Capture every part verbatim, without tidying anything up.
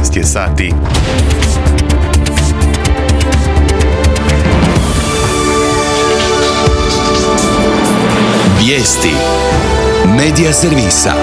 šesnaest je sati. Vijesti Medija servisa.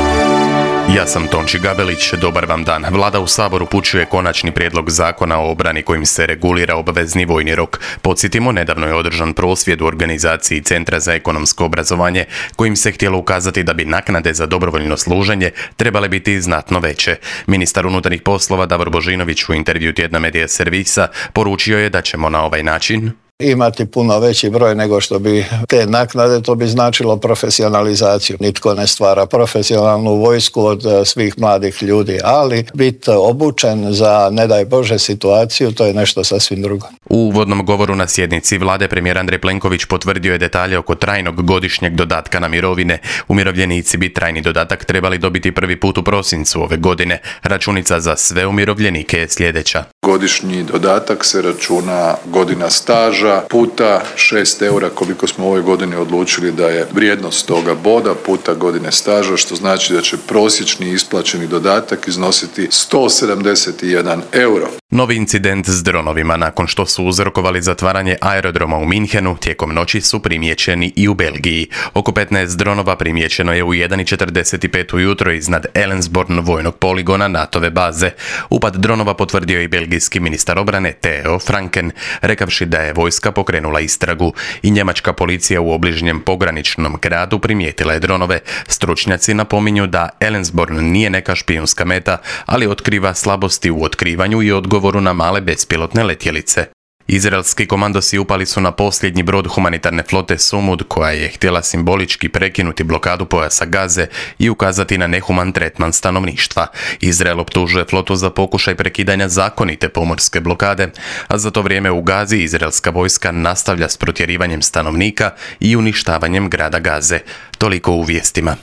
Ja sam Tonči Gabelić, dobar vam dan. Vlada u Saboru upućuje konačni prijedlog zakona o obrani kojim se regulira obvezni vojni rok. Podsjetimo, nedavno je održan prosvjed u organizaciji Centra za ekonomsko obrazovanje kojim se htjelo ukazati da bi naknade za dobrovoljno služenje trebale biti znatno veće. Ministar unutarnjih poslova Davor Božinović u intervju tjedna Medija servisa poručio je da ćemo na ovaj način imati puno veći broj nego što bi te naknade, to bi značilo profesionalizaciju. Nitko ne stvara profesionalnu vojsku od svih mladih ljudi, ali biti obučen za, ne daj Bože, situaciju, to je nešto sasvim drugo. U uvodnom govoru na sjednici vlade premijer Andrej Plenković potvrdio je detalje oko trajnog godišnjeg dodatka na mirovine. Umirovljenici bi trajni dodatak trebali dobiti prvi put u prosincu ove godine. Računica za sve umirovljenike je sljedeća. Godišnji dodatak se računa godina staža puta šest eura koliko smo u ovoj godini odlučili da je vrijednost toga boda puta godine staža, što znači da će prosječni isplaćeni dodatak iznositi sto sedamdeset jedan euro. Novi incident s dronovima nakon što su uzrokovali zatvaranje aerodroma u Minhenu tijekom noći su primijećeni i u Belgiji. Oko petnaest dronova primijećeno je u jedan i četrdeset pet ujutro iznad Ellensborn vojnog poligona NATO-ve baze. Upad dronova potvrdio je i belgijski ministar obrane Theo Franken, rekavši da je vojska pokrenula istragu. I njemačka policija u obližnjem pograničnom gradu primijetila je dronove. Stručnjaci napominju da Ellensborn nije neka špijunska meta, ali otkriva slabosti u otkrivanju i odgovoru na male bespilotne letjelice. Izraelski komandosi upali su na posljednji brod humanitarne flote Sumud koja je htjela simbolički prekinuti blokadu pojasa Gaze i ukazati na nehuman tretman stanovništva. Izrael optužuje flotu za pokušaj prekidanja zakonite pomorske blokade, a za to vrijeme u Gazi izraelska vojska nastavlja s protjerivanjem stanovnika i uništavanjem grada Gaze. Toliko u vijestima.